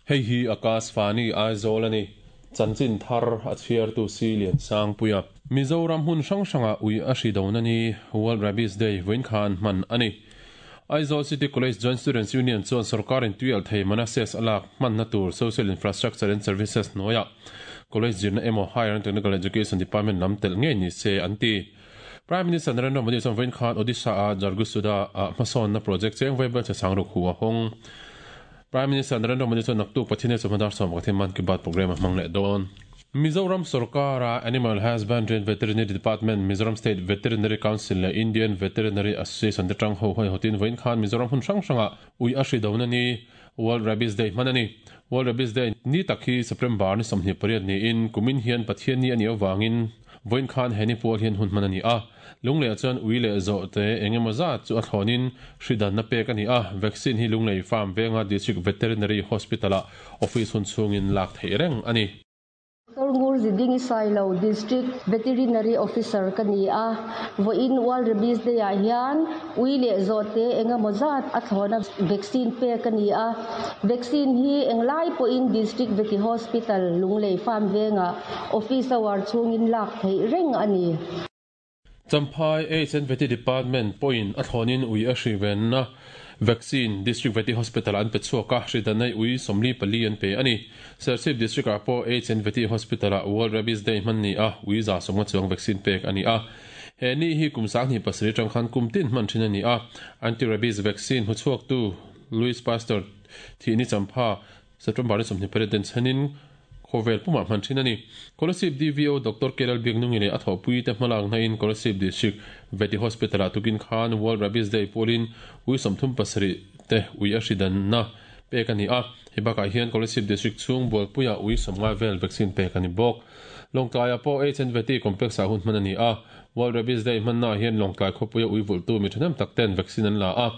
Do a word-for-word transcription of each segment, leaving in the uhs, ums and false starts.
Hei hi Akashvani Aizawl a ni. Chanchin thar a chhiartu si Lian Sangpuia. Mizoram hmun hrang hrangah ui a hri dona ni, World Rabies Day, vawiin khan hman a ni. Aizawl City College Joint Students Union chuan sorkarin tuialh thei mana cess a lak hmanna tur Social Infrastructure and Services hnuaiah College zirna emaw Higher and Technical Education Department lam telh ngei ni se an ti. Prime Minister Narendra Modi chuan vawiin khan Odisha-a Jhargusuda-ah hmasawnna project cheng vawi bel che sang ruk hu a hawng. Prime Minister Narendra Modi chuan naktuk Pathian chawhma dar sawm pakhat hi Mann Ki Baat programme a hmang leh dawn. Mizoram sorkara Animal Husbandry and Veterinary Department, Mizoram State Veterinary Council leh Indian Veterinary Association te tang ho haihawtin vawiin khan Mizoram hmun hrang hrangah ui a hri dona ni, World Rabies Day hman a ni. World Rabies Day ni tak hi September ni sawmhnih pariat niin kumin hian Pathian ni a nih avangin vawiin khan he ni pual hian hun hman a ni a. Lunglei chuan ui leh zawh te engemaw zat chu a thlawnin hri danna pek a ni a. Vaccine hi Lunglei Farm venga District Veterinary Hospital-ah office hun chhungin lak theih reng a ni. Torngur Ziding Sailo District Veterinary Officer ka ni a. Vawiin World Rabies Day ah hian ui leh zawh te engemaw zat a thlawna vaccine pek a ni a. Vaccine hi englai pawhin District Veti Hospital Lunglei Farm venga office hour chhungin lak theih reng a ni. Champhai H and Veti Department pawhin a thlawnin ui a hri venna vaccine District Veti Hospital an pe chhuak a, hri danna ui sawmli pali an pe a ni. Serchhip District ah pawh H and Veti Hospital ah World Rabies Day hman ni a, ui za sawmnga chuang vaccine pek a ni a. He ni hi kum sang hnih pasarih tang khan kum tin hman thin a ni a. Anti-rabies vaccine hmu chhuak tu Louis Pasteur thi ni Champha September ni sawmhnih pariat den chhanin Khovel pumah hman thin a ni. Kolasib D V O Doctor Kelal Biaknungi leh a thawhpui te hmalak hnain Kolasib District Veti Hospital ah tukin khan World Rabies Day pawlin ui sawmthum pasarih te ui a hri danna pek a ni a. Hei bakah hian Kolasib District chhung Bualpuiah ui sawmngai vel vaccine pek a ni bawk. Lawngtlaiah pawh H and Veti Complex ah hun hman a ni a. World Rabies Day hmannaah hian Lawngtlai khawpuia ui vulhtu mi thahnem tak ten vaccine an la a.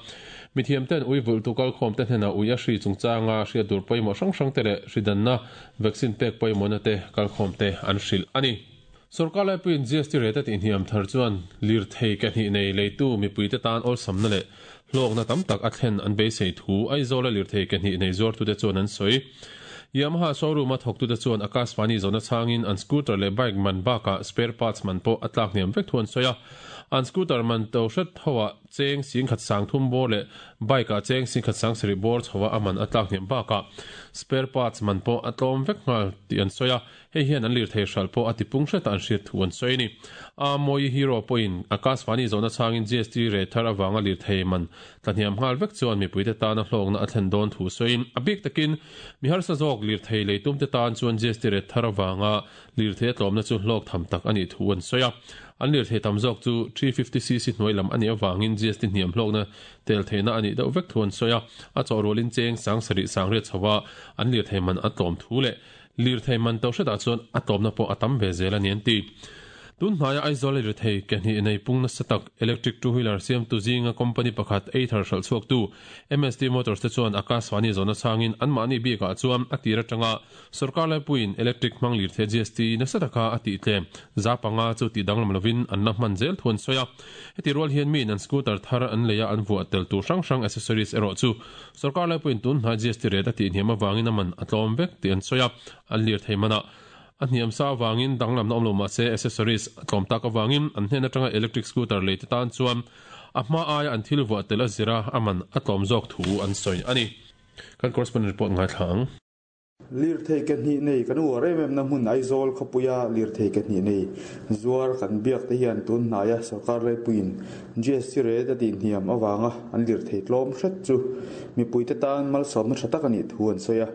Mithiam ten ui vulhtu kalkhawm te hnenah ui a hri chungchanga hriat tur pawimawh hrang hrang te leh hri danna vaccine pek pawimawhna te kalkhawm te an hrilh a ni. Sorkar laipuiin G S T rate a tihhniam thar chuan lirthei ke hnih nei leitu mipui te tan awlsamna leh hlawkna tam tak a thlen an beisei thu Aizawl a lirthei ke hnih nei zuartute chuan an sawi. Yamaha showroom a thawktute chuan Akashvani zawhna changin an scooter leh bike man bakah spare parts man pawh a tlak hniam vek thu an sawi a. An scooter man to hret hoah cheng sing khat sang thum bawr leh bike ah cheng sing khat sang sarih bawr chhoa a man a tlak hniam bakah spare parts man pawh a tlawm vek nghal tih an sawi a. Hei hian an lirthei hral pawh a tipung hretah an hriat thu an sawi a ni. A Mawi Hero pawhin Akashvani zawhna changin G S T rate thar avanga lirthei man tlahniam nghal vek chuan mipuite tana hlawkna a thlen dawn thu sawiin a bik takin mi harsa zawk lirthei leitum te tan chuan G S T rate thar avanga lirthei a tlawmna chu hlawk tham tak a nih thu an sawi a. An lirthei tam zawk chu three fifty c c hnuai lam a nih avangin G S T hniam hlawkna tel theihna a nih deuh vek thu an sawi a. A chawhrualin cheng sang sarih sang riat chhoa an lirthei man a tlawm thu leh lirthei man to hretah chuan a tlawmna pawh a tam ve zel a ni an ti. Tun hnaia Aizawl lirthei ke hnih nei pung nasa tak electric two-wheeler siamtu zinga company pakhat Ather hralh chhuak tu M S T Motors te chuan Akashvani zawhna changin anmahni bikah chuan a tir atanga sorkar laipuiin electric hmang lirthei G S T nasa taka a tih tlem zapanga chu tih danglam lovin an la hman zel thu an sawi a. Heti rual hian miin an scooter thar an leia an vuah tel tur hrang hrang accessories erawh chu sorkar laipuiin tun hnai G S T rate a tih hniam avangin a man a tlawm vek tih an sawi a. An lirthei manah a hniam sa awangin danglamna awm lo mah se accessories a tlawm tak awangin an hnen atanga electric scooter lei te tan chuan a hma aia an thil vuah tel a zira a man a tlawm zawk thu an sawi a ni. Kan correspondent report ngai thla ang. Lirthei ke hnih nei kan uar em em na hmun Aizawl khawpuia lirthei ke hnih nei zuar kan biak te hian tun hnaia sorkar laipuiin G S T rate a tih hniam awanga an lirthei tlawm hret chu mipui te tan malsawmna tha tak a nih thu an sawi a.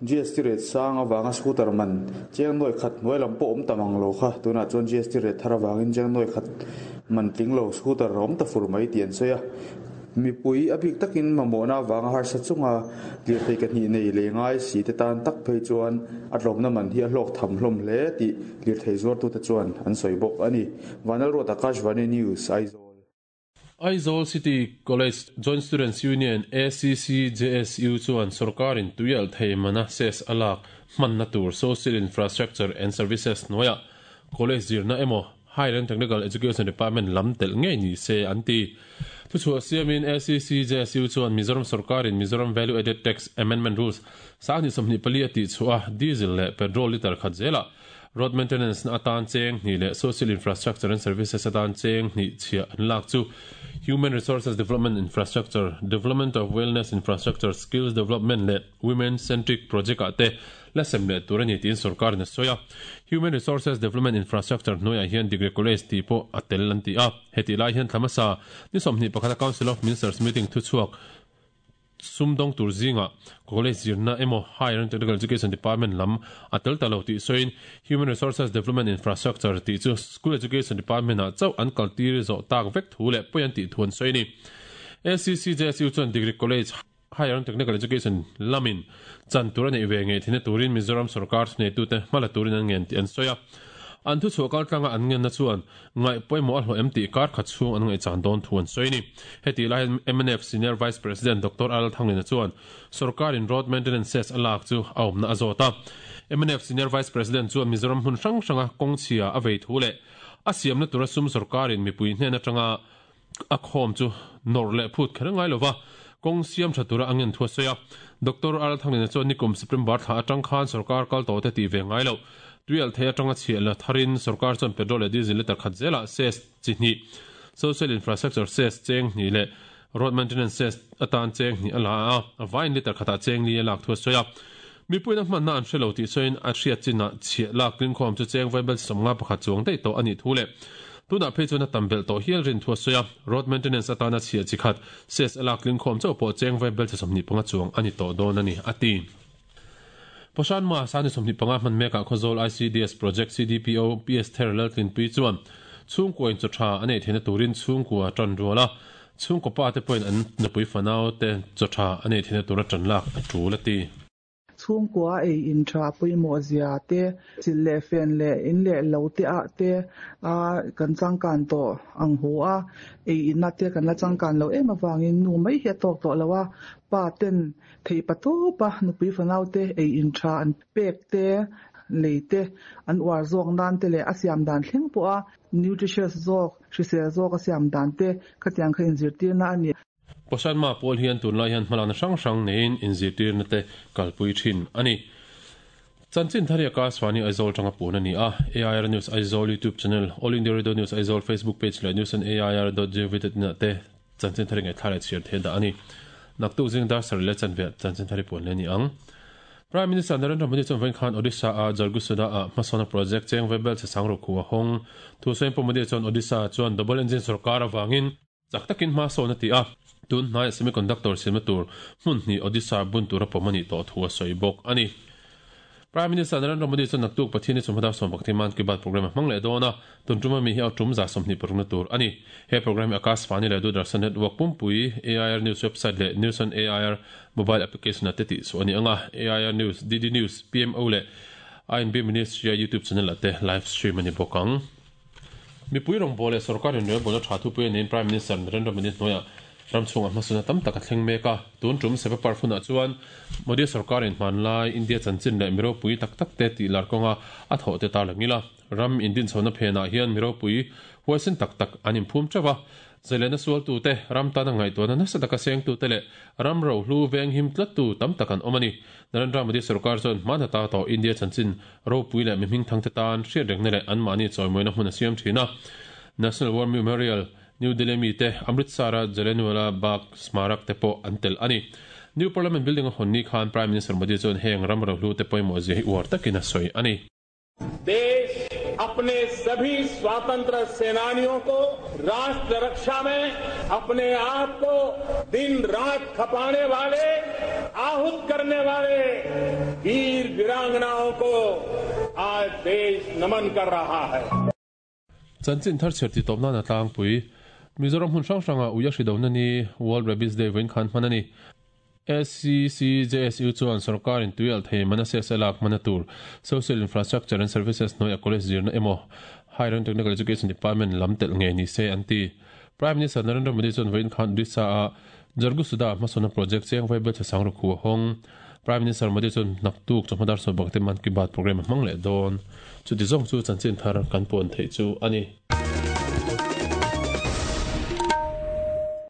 G S T rate sang awanga scooter man cheng nawi khat hnuai lam pawh awm tam ang lo kha tunah chuan G S T rate thar awangin cheng nawi khat man tling lo scooter awm ta fur mai tih an sawi a. Mipui a bik takin mamawhna awanga harsa chunga lirthei ke hnih nei lei ngai si te tan tak phei chuan a tlawmna man hi a hlawk tham hlawm hle tih lirthei zuartute chuan an sawi bawk a ni. Vanal Ruat Akashvani News, Aizawl. Aizawl City College Joint Students Union A C C J S U chuan sorkarin tuialh thei mana cess a lak hmanna tur Social Infrastructure and Services hnuaiah college zirna emaw Higher and Technical Education Department lam telh ngei ni se an ti. Thu chhuah siamin A C C J S U chuan Mizoram sarkarin Mizoram Value Added Tax Amendment Rules sanghnih sawmhnih pali a tih chhuah a, diesel leh petrol liter khat zela road maintenance na atan cheng hnih leh social infrastructure and services atan cheng hnih chhiah an lak chu human resources development infrastructure, development of wellness infrastructure, skills development leh women centric project ah te la sem leh tur a ni tiin sarkarin a sawi a. Human resources development infrastructure hnuaiah hian degree college tih pawh a tel an ti a. Heti lai hian thlamasa ni sawmhnih pakhata Council of Ministers meeting thu chhuak sumdawng tur zinga college zirna emaw higher and technical education department lam a tel ta lo tih sawiin human resources development infrastructure tih chu school education department ah chauh an kaltir zawh tak vek thu leh pawi an tih thu an sawi a ni. A C C J S U chuan degree college, higher and technical education lamin chan tur a neih ve ngei theihna turin Mizoram sarkar thuneitute hmala turin an ngen tih an sawi a. An thu chhuah kal tlanga an ngenna chuan ngaih pawimawh a hlawh em tih kar khat chhung an ngaihchan dawn thu an sawi a ni. Heti lai hian M N F Senior Vice President Doctor Al Thanglina chuan sarkarin road maintenance cess a lak chu a awmna a zawt a. M N F Senior Vice President chuan Mizoram hmun hrang hranga kawng chhia a vei thu leh a siamna tura sum sarkarin mipui hnen atanga a khawm chu nawr leh phut kher ngai lova kawng siam tha tura angen thu a sawi a. Doctor Al Thanglina chuan nikum September thla atang khan sarkar kal tawh te tih ve ngai lo tuial thei atanga chhiah la tharin sarkar chuan petrol leh diesel liter khat zela cess chi hnih, social infrastructure cess cheng hnih leh road maintenance cess atan cheng hnih a la a, a vain liter khatah cheng li a lak thu a sawi a. Mipuina hmanna an hrelo tih sawiin a hriat chinah chhiah lak tling khawm chu cheng vaibel sawmnga pakhat chuang daih tawh a nih thu leh tunah phei chuan a tam belh tawh hial rin thu a sawi a. Road maintenance atana chhiah chi khat cess a lak tling khawm chauh pawh cheng vaibel sawmhnih panga chuang a ni tawh dawn a ni a ti. Poshan ma sani sawmhnih panga hman mekah Khawzawl I C D S project C D P O P S Ther Laltlinpui chuan chhungkua in chaw tha a nei theihna turin chhungkua tan rual a, chhungkaw pa te pawhin an nupui fanau te chaw tha a nei theihna tura tan lak a tul a ti. Chhungkua ei in tha pawimawh zia te, chil leh fen leh in leh lo te ah te a kan changkan tawh ang hu a, ei inna te kan la changkan lo em awangin nu mai hi a tawk tawh lo a, pa ten thei patupa nupui fanau te ei in tha an pek te lei te an uar zawk nan te leh a siam dan thleng pawh a nutritious zawk, hrisel zawk a siam dan te khatiang kha inzirtir na a ni. Poshan ma pawl hian tunlai hian hmalakna hrang hrang neiin inzirtirna te kalpui thin a ni. Chanchin thari Akashvani Aizawl tanga pun ani a. A I R News Aizawl YouTube channel, All India Radio News Aizawl Facebook page leh news on A I R dot gov na te chanchin thari ngai thlai chhiar the da ani. Naktuk zing dar sar le chanve chanchin thari pun le ni ang. Prime Minister Narendra Modi chuan vawiin khan Odisha a Jharsuguda a hmasawna project cheng vaibel che sang ro khu a hawng. Thu sawiin Pu Modi chuan Odisha chuan double engine sarkar awangin chak takin hma sawn a ti a. Tun hnai semiconductor siamna tur hmun hnih Odisha bun tura pawm ani tawh thu a sawi bawk ani. Prime Minister Narendra Modi chuan naktuk Pathian ni chawhma dar sawm pakhat Mann Ki Baat program a hmang leh dawn a, tun tuma mi hi a tum za sawmhnih parukna tur ani. He program hi Akashvani leh Doordarshan network pumpui, A I R News website leh News on A I R mobile application ate tih chu ani anga. A I R News, D D News, P M O leh I N B Ministry YouTube channel ate live stream ani bawk ang. Mipui rawngbawl leh sarkar in relbawlna tha thupui niin Prime Minister Narendra Modi hnuaiah ram chhungah hmasawna tam tak a thleng mek a. Tun tum Seva Parv hunah chuan Modi sarkarin hmanlai India chanchin leh miropui tak tak te tih lar kawnga a thawh te tar langila. Ram indin chhona phenah hian miropui huaisin tak tak an inphum theuh a. Zailena sual tu te, ram tana ngaihtuahna nasa taka seng tu te leh ram ro hlu veng him tlat tu tam tak an awm ani. Narendra Modi sarkar chuan hmana ta tawh India chanchin ropui leh mi hming thang te tan hriat rengna leh anmahni chawimawina hmun a siam thin a. National War Memorial New Delhi mi te, Amritsar a Jallianwala Bagh Smarak te pawh an tel ani. New Parliament Building a hawn ni khan Prime Minister Modi chuan heng ram ro hlu te pawimawh zia hi uar takin a sawi ani. देश अपने सभी स्वतंत्र सेनानियों को, राष्ट्र रक्षा में अपने आप को दिन रात खपाने वाले, आहुत करने वाले वीर वीरांगनाओं को आज देश नमन कर रहा है। Chanchin thar chhiar ti tawp na tlangpui. Mizoram hmun hrang hranga uia hri do na ni World Rabies Day vawiin khan hman ani. A C C J S U chuan sarkarin tuial thei mana se lak mana tur social infrastructure and services hnuaiah college zirna emaw higher and technical education department lam tel nge ni se an ti. Prime Minister Narendra Modi chuan vawiin khan Odisha a Jharsuguda hmasawna project cheng vaibel che sang ro khu a hawng. Prime Minister Modi chuan naktuk chawhma dar sawm pakhat Mann Ki Baat program a hmang leh dawn. Chuti zawng chu chanchin thar kan puan theih chu ani.